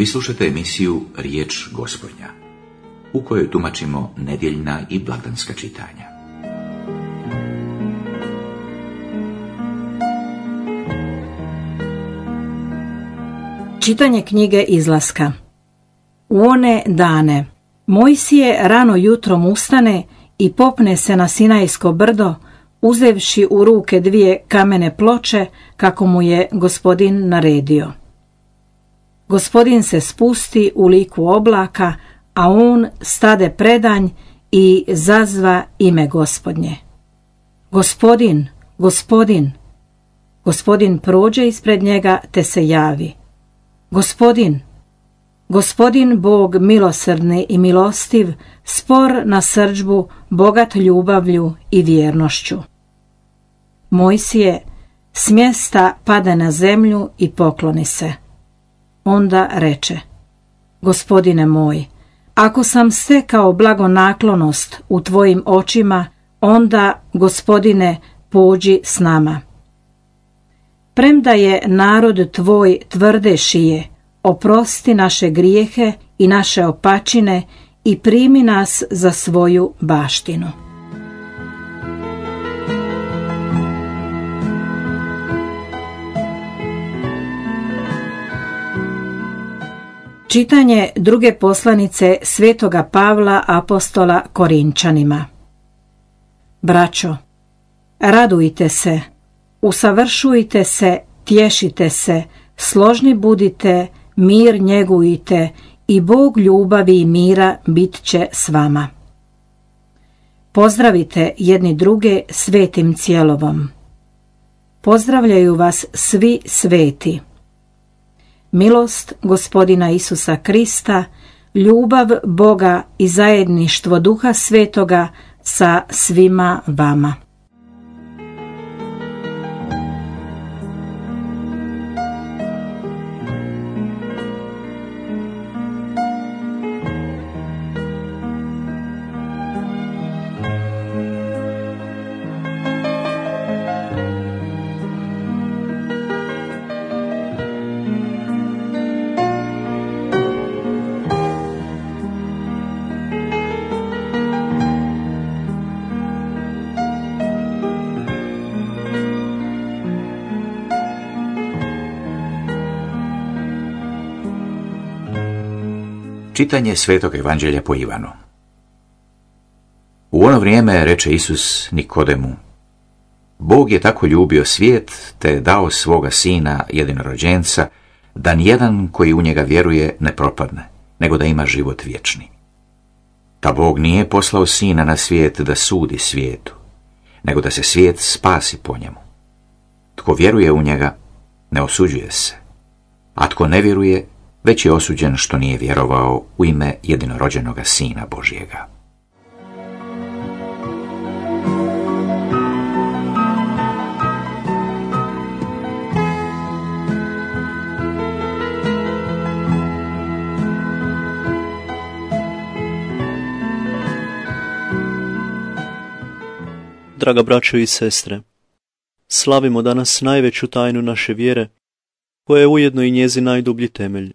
Vi slušate emisiju Riječ Gospodnja, u kojoj tumačimo nedjeljna i blagdanska čitanja. Čitanje knjige Izlaska. U one dane Mojsije rano jutrom ustane i popne se na Sinajsko brdo, uzevši u ruke 2 kamene ploče, kako mu je Gospodin naredio. Gospodin se spusti u liku oblaka, a on stade predanj i zazva ime Gospodnje. Gospodin, Gospodin. Gospodin prođe ispred njega te se javi. Gospodin, Gospodin Bog milosrdni i milostiv, spor na srdžbu, bogat ljubavlju i vjernošću. Mojsije s mjesta pada na zemlju i pokloni se. Onda reče: Gospodine moj, ako sam stekao blagonaklonost u tvojim očima, onda, Gospodine, pođi s nama. Premda je narod tvoj tvrde šije, oprosti naše grijehe i naše opačine i primi nas za svoju baštinu. Čitanje druge poslanice Svetoga Pavla apostola Korinčanima. Braćo, radujte se, usavršujte se, tješite se, složni budite, mir njegujte i Bog ljubavi i mira bit će s vama. Pozdravite jedni druge svetim cjelovom. Pozdravljaju vas svi sveti. Milost Gospodina Isusa Krista, ljubav Boga i zajedništvo Duha Svetoga sa svima vama. Čitanje Svetog Evanđelja po Ivanu. U ono vrijeme reče Isus Nikodemu: Bog je tako ljubio svijet, te je dao svoga sina jedinorođenca, da nijedan koji u njega vjeruje ne propadne, nego da ima život vječni. Ta Bog nije poslao sina na svijet da sudi svijetu, nego da se svijet spasi po njemu. Tko vjeruje u njega, ne osuđuje se, a tko ne vjeruje, već je osuđen što nije vjerovao u ime jedinorođenoga Sina Božjega. Draga braćo i sestre, slavimo danas najveću tajnu naše vjere, koja je ujedno i njezin najdublji temelj.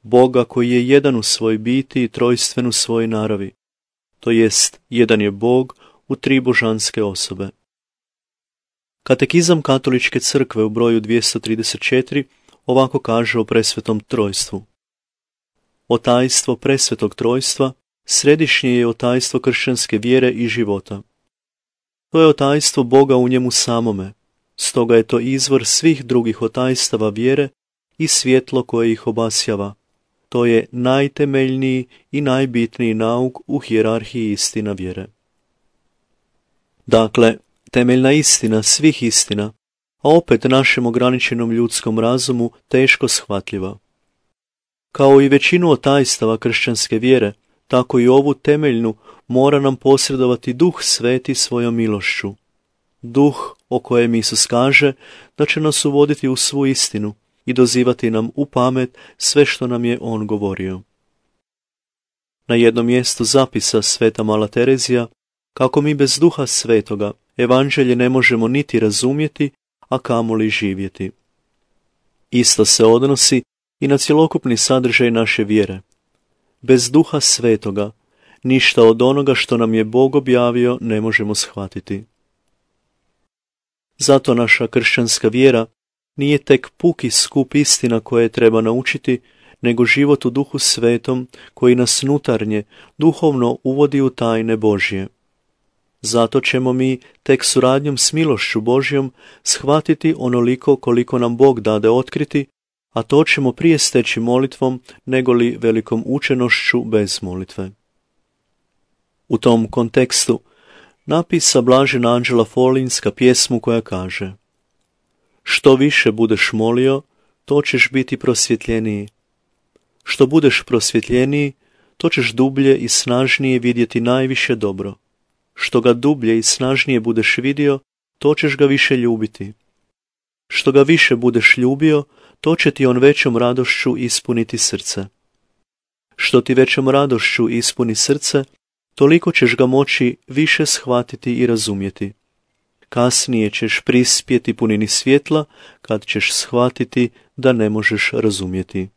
Boga koji je jedan u svojoj biti i trojstven u svojoj naravi, to jest jedan je Bog u 3 božanske osobe. Katekizam Katoličke crkve u broju 234 ovako kaže o presvetom trojstvu. Otajstvo presvetog trojstva središnje je otajstvo kršćanske vjere i života. To je otajstvo Boga u njemu samome, stoga je to izvor svih drugih otajstava vjere i svjetlo koje ih obasjava. To je najtemeljniji i najbitniji nauk u hijerarhiji istina vjere. Dakle, temeljna istina svih istina, a opet našem ograničenom ljudskom razumu teško shvatljiva. Kao i većinu otajstava kršćanske vjere, tako i ovu temeljnu mora nam posredovati Duh Sveti svojom milošću. Duh o kojem Isus kaže da će nas uvoditi u svu istinu i dozivati nam u pamet sve što nam je on govorio. Na jednom mjestu zapisa sveta Mala Terezija kako mi bez Duha Svetoga evanđelje ne možemo niti razumjeti, a kamoli živjeti. Isto se odnosi i na cjelokupni sadržaj naše vjere. Bez Duha Svetoga ništa od onoga što nam je Bog objavio ne možemo shvatiti. Zato naša kršćanska vjera nije tek puki skup istina koje treba naučiti, nego život u Duhu Svetom koji nas nutarnje, duhovno uvodi u tajne Božje. Zato ćemo mi tek suradnjom s milošću Božjom shvatiti onoliko koliko nam Bog dade otkriti, a to ćemo prije steći molitvom negoli velikom učenošću bez molitve. U tom kontekstu napisa blažena Anđela Folinska pjesmu koja kaže: što više budeš molio, to ćeš biti prosvjetljeniji. Što budeš prosvjetljeniji, to ćeš dublje i snažnije vidjeti najviše dobro. Što ga dublje i snažnije budeš vidio, to ćeš ga više ljubiti. Što ga više budeš ljubio, to će ti on većom radošću ispuniti srce. Što ti većom radošću ispuni srce, toliko ćeš ga moći više shvatiti i razumjeti. Kasnije ćeš prispjeti punini svjetla, kad ćeš shvatiti da ne možeš razumjeti.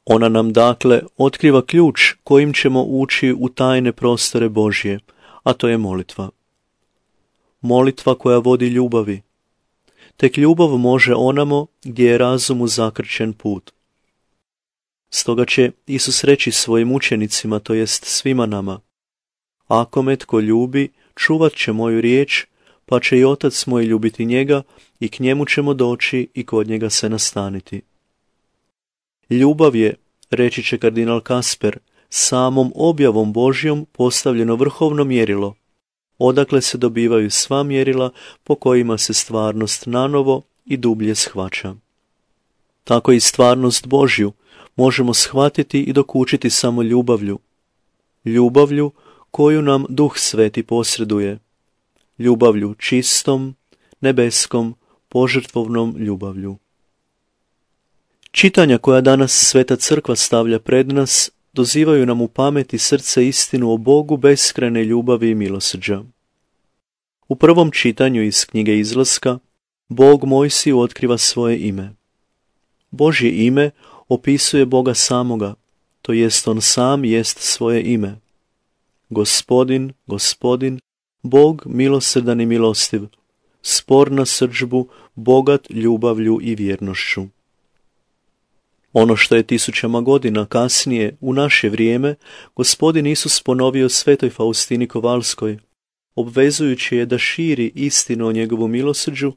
Ona nam dakle otkriva ključ kojim ćemo ući u tajne prostore Božje, a to je molitva. Molitva koja vodi ljubavi. Tek ljubav može onamo gdje je razumu zakrčen put. Stoga će Isus reći svojim učenicima, to jest svima nama: ako me tko ljubi, čuvat će moju riječ, pa će i Otac moj ljubiti njega i k njemu ćemo doći i kod njega se nastaniti. Ljubav je, reći će kardinal Kasper, samom objavom Božjom postavljeno vrhovno mjerilo, odakle se dobivaju sva mjerila po kojima se stvarnost nanovo i dublje shvaća. Tako i stvarnost Božju možemo shvatiti i dokučiti samo ljubavlju. Ljubavlju koju nam Duh Sveti posreduje. Ljubavlju čistom, nebeskom, požrtvovnom ljubavlju. Čitanja koja danas Sveta Crkva stavlja pred nas dozivaju nam u pamet i srce istinu o Bogu beskrajne ljubavi i milosrđa. U prvom čitanju iz knjige Izlaska Bog Mojsiju otkriva svoje ime. Božje ime opisuje Boga samoga, to jest on sam jest svoje ime. Gospodin, Gospodin, Bog milosrdan i milostiv, spor na srdžbu, bogat ljubavlju i vjernošću. Ono što je tisućama godina kasnije, u naše vrijeme, Gospodin Isus ponovio svetoj Faustini Kovalskoj, obvezujući je da širi istinu o njegovu milosrđu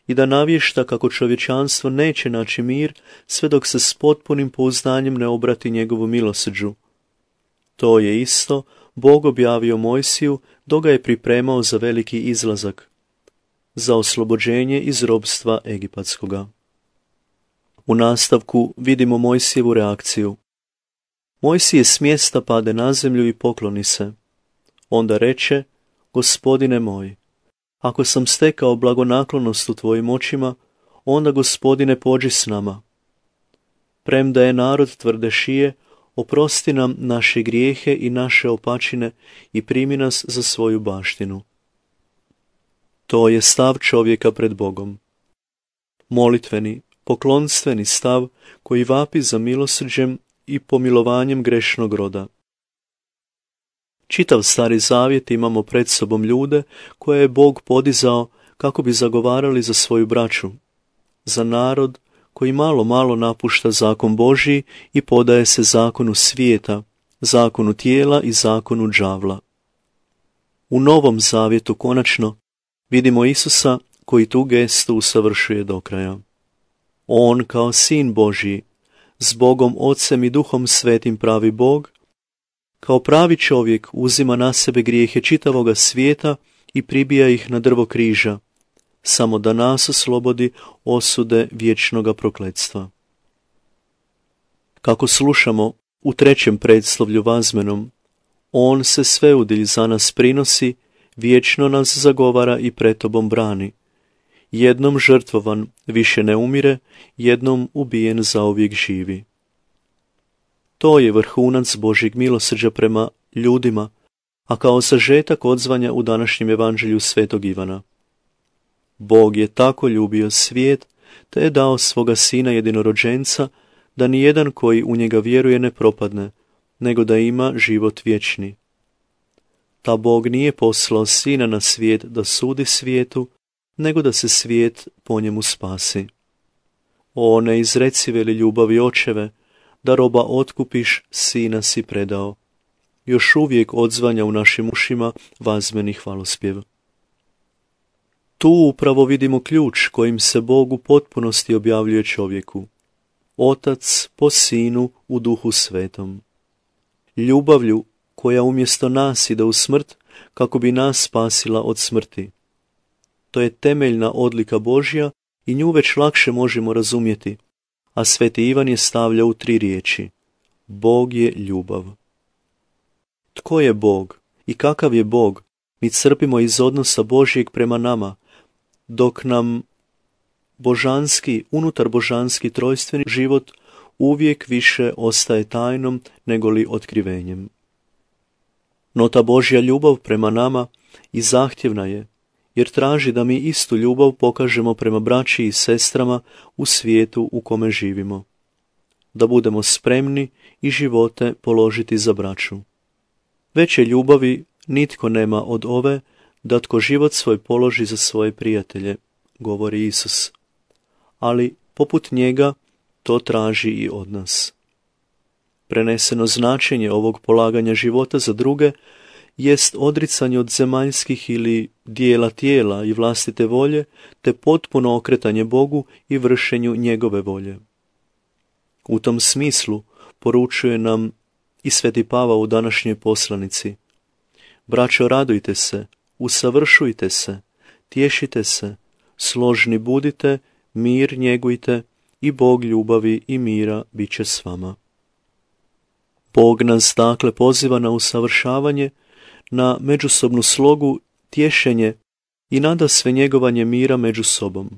i da navješta kako čovječanstvo neće naći mir sve dok se s potpunim pouzdanjem ne obrati njegovu milosrđu. To je isto Bog objavio Mojsiju dok ga je pripremao za veliki izlazak, za oslobođenje iz robstva egipatskoga. U nastavku vidimo Mojsijevu reakciju. Mojsije s mjesta pade na zemlju i pokloni se. Onda reče: Gospodine moj, ako sam stekao blagonaklonost u tvojim očima, onda, Gospodine, pođi s nama. Premda je narod tvrde šije, oprosti nam naše grijehe i naše opačine i primi nas za svoju baštinu. To je stav čovjeka pred Bogom. Molitveni, poklonstveni stav koji vapi za milosrđem i pomilovanjem grešnog roda. Čitav Stari Zavjet imamo pred sobom ljude koje je Bog podizao kako bi zagovarali za svoju braću, za narod koji malo napušta zakon Božji i podaje se zakonu svijeta, zakonu tijela i zakonu đavla. U Novom Zavjetu konačno vidimo Isusa koji tu gestu usavršuje do kraja. On kao Sin Božji, s Bogom Ocem i Duhom Svetim pravi Bog, kao pravi čovjek uzima na sebe grijehe čitavoga svijeta i pribija ih na drvo križa, samo da nas oslobodi osude vječnoga prokletstva. Kako slušamo u trećem predslovlju vazmenom, on se sveudilj za nas prinosi, vječno nas zagovara i pred tobom brani. Jednom žrtvovan više ne umire, jednom ubijen zauvijek živi. To je vrhunac Božjeg milosrđa prema ljudima, a kao sažetak odzvanja u današnjem evanđelju svetog Ivana. Bog je tako ljubio svijet te je dao svoga sina jedinorođenca, da nijedan koji u njega vjeruje ne propadne, nego da ima život vječni. Ta Bog nije poslao sina na svijet da sudi svijetu, nego da se svijet po njemu spasi. O neizrecive li ljubavi očeve, da roba otkupiš, sina si predao. Još uvijek odzvanja u našim ušima vazmeni hvalospjev. Tu upravo vidimo ključ kojim se Bog u potpunosti objavljuje čovjeku. Otac po Sinu u Duhu Svetom. Ljubavlju koja umjesto nas ide u smrt kako bi nas spasila od smrti. To je temeljna odlika Božja i nju već lakše možemo razumjeti, a Sveti Ivan je stavlja u 3 riječi. Bog je ljubav. Tko je Bog i kakav je Bog, mi crpimo iz odnosa Božjeg prema nama, dok nam božanski, unutar božanski trojstveni život uvijek više ostaje tajnom nego li otkrivenjem. No ta Božja ljubav prema nama i zahtjevna je, jer traži da mi istu ljubav pokažemo prema braći i sestrama u svijetu u kome živimo. Da budemo spremni i živote položiti za braću. Veće ljubavi nitko nema od ove, da tko život svoj položi za svoje prijatelje, govori Isus. Ali, poput njega, to traži i od nas. Preneseno značenje ovog polaganja života za druge jest odricanje od zemaljskih ili dijela tijela i vlastite volje, te potpuno okretanje Bogu i vršenju njegove volje. U tom smislu poručuje nam i Sveti Pavao u današnjoj poslanici. Braćo, radujte se, usavršujte se, tješite se, složni budite, mir njegujte i Bog ljubavi i mira bit će s vama. Bog nas dakle poziva na usavršavanje, na međusobnu slogu, tješenje i nadasve njegovanje mira među sobom.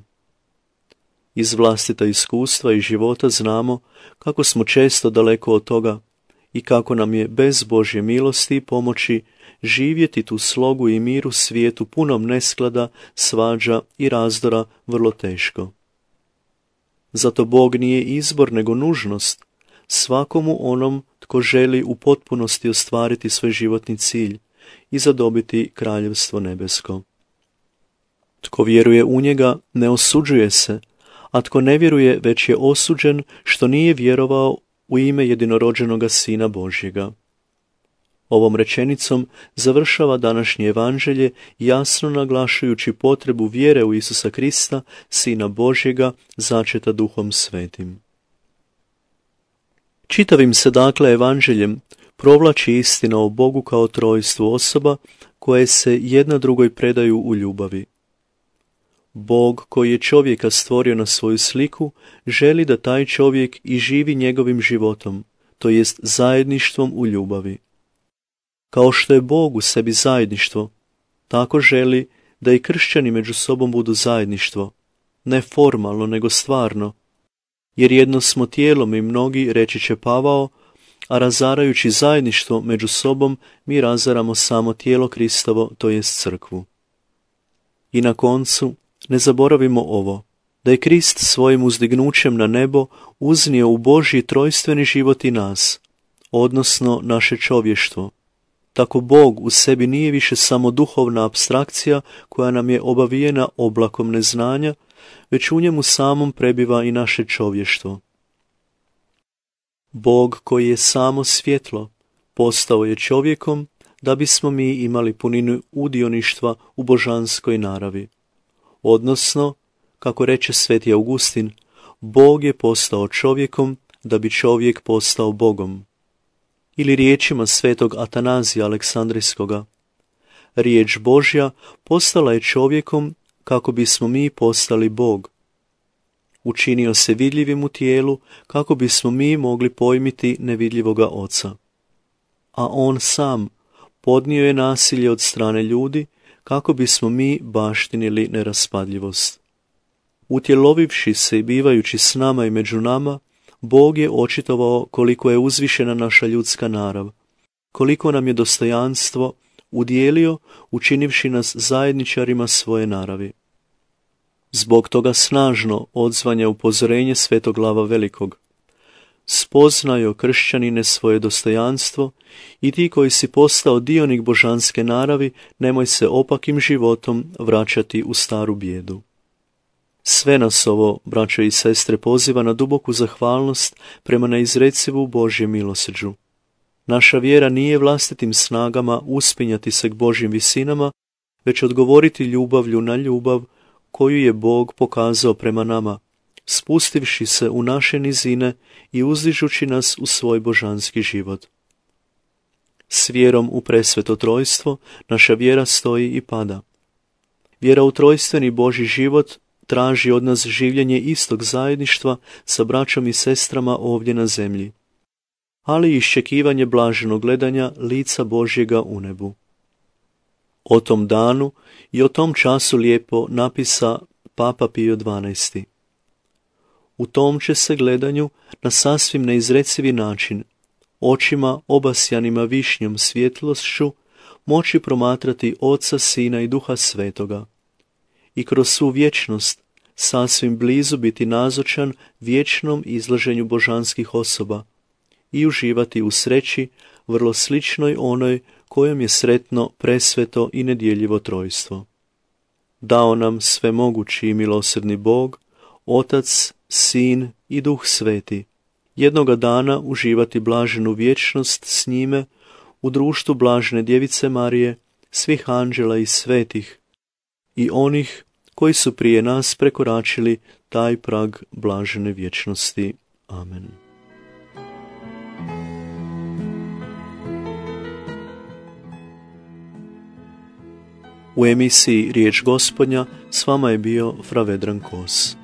Iz vlastita iskustva i života znamo kako smo često daleko od toga i kako nam je bez Božje milosti i pomoći živjeti tu slogu i mir u svijetu punom nesklada, svađa i razdora vrlo teško. Zato Bog nije izbor nego nužnost svakomu onom tko želi u potpunosti ostvariti svoj životni cilj i zadobiti kraljevstvo nebesko. Tko vjeruje u njega ne osuđuje se, a tko ne vjeruje već je osuđen što nije vjerovao u ime jedinorođenoga Sina Božjega. Ovom rečenicom završava današnje evanđelje, jasno naglašujući potrebu vjere u Isusa Krista, Sina Božjega, začeta Duhom Svetim. Čitavim se dakle evanđeljem provlači istina o Bogu kao trojstvu osoba koje se jedna drugoj predaju u ljubavi. Bog koji je čovjeka stvorio na svoju sliku želi da taj čovjek i živi njegovim životom, to jest zajedništvom u ljubavi. Kao što je Bog u sebi zajedništvo, tako želi da i kršćani među sobom budu zajedništvo, ne formalno nego stvarno, jer jedno smo tijelom i mnogi, reći će Pavao, a razarajući zajedništvo među sobom mi razaramo samo tijelo Kristovo, to jest crkvu. I na koncu, ne zaboravimo ovo, da je Krist svojim uzdignućem na nebo uznio u Božji trojstveni život i nas, odnosno naše čovještvo. Tako Bog u sebi nije više samo duhovna apstrakcija koja nam je obavijena oblakom neznanja, već u njemu samom prebiva i naše čovještvo. Bog koji je samo svjetlo, postao je čovjekom da bismo mi imali puninu udioništva u božanskoj naravi. Odnosno, kako reče Sveti Augustin, Bog je postao čovjekom da bi čovjek postao Bogom. Ili riječima svetog Atanazija Aleksandrijskoga, riječ Božja postala je čovjekom kako bismo mi postali Bog. Učinio se vidljivim u tijelu kako bismo mi mogli pojmiti nevidljivoga Oca. A on sam podnio je nasilje od strane ljudi kako bismo mi baštinili neraspadljivost. Utjelovivši se i bivajući s nama i među nama, Bog je očitovao koliko je uzvišena naša ljudska narav, koliko nam je dostojanstvo udijelio učinivši nas zajedničarima svoje naravi. Zbog toga snažno odzvanja upozorenje Svetoglava Velikog. Spoznajo, kršćanine, svoje dostojanstvo i ti koji si postao dionik božanske naravi, nemoj se opakim životom vraćati u staru bijedu. Sve nas ovo, braćo i sestre, poziva na duboku zahvalnost prema neizrecivu Božjem milosrđu. Naša vjera nije vlastitim snagama uspinjati se k Božjim visinama, već odgovoriti ljubavlju na ljubav koju je Bog pokazao prema nama, spustivši se u naše nizine i uzdižući nas u svoj božanski život. S vjerom u presveto trojstvo naša vjera stoji i pada. Vjera u trojstveni Božji život traži od nas življenje istog zajedništva sa braćom i sestrama ovdje na zemlji, ali i iščekivanje blaženog gledanja lica Božjega u nebu. O tom danu i o tom času lijepo napisa Papa Pio XII. U tom će se gledanju na sasvim neizrecivi način, očima obasjanima višnjom svjetlošću, moći promatrati Oca, Sina i Duha Svetoga i kroz svu vječnost sasvim blizu biti nazočan vječnom izlaženju božanskih osoba i uživati u sreći vrlo sličnoj onoj kojom je sretno presveto i nedjeljivo trojstvo. Dao nam svemogući i milosrdni Bog, Otac, Sin i Duh Sveti, jednoga dana uživati blaženu vječnost s njime u društvu blažene Djevice Marije, svih anđela i svetih i onih koji su prije nas prekoračili taj prag blažene vječnosti. Amen. U emisiji Riječ Gospodnja s vama je bio fra Vedran Kos.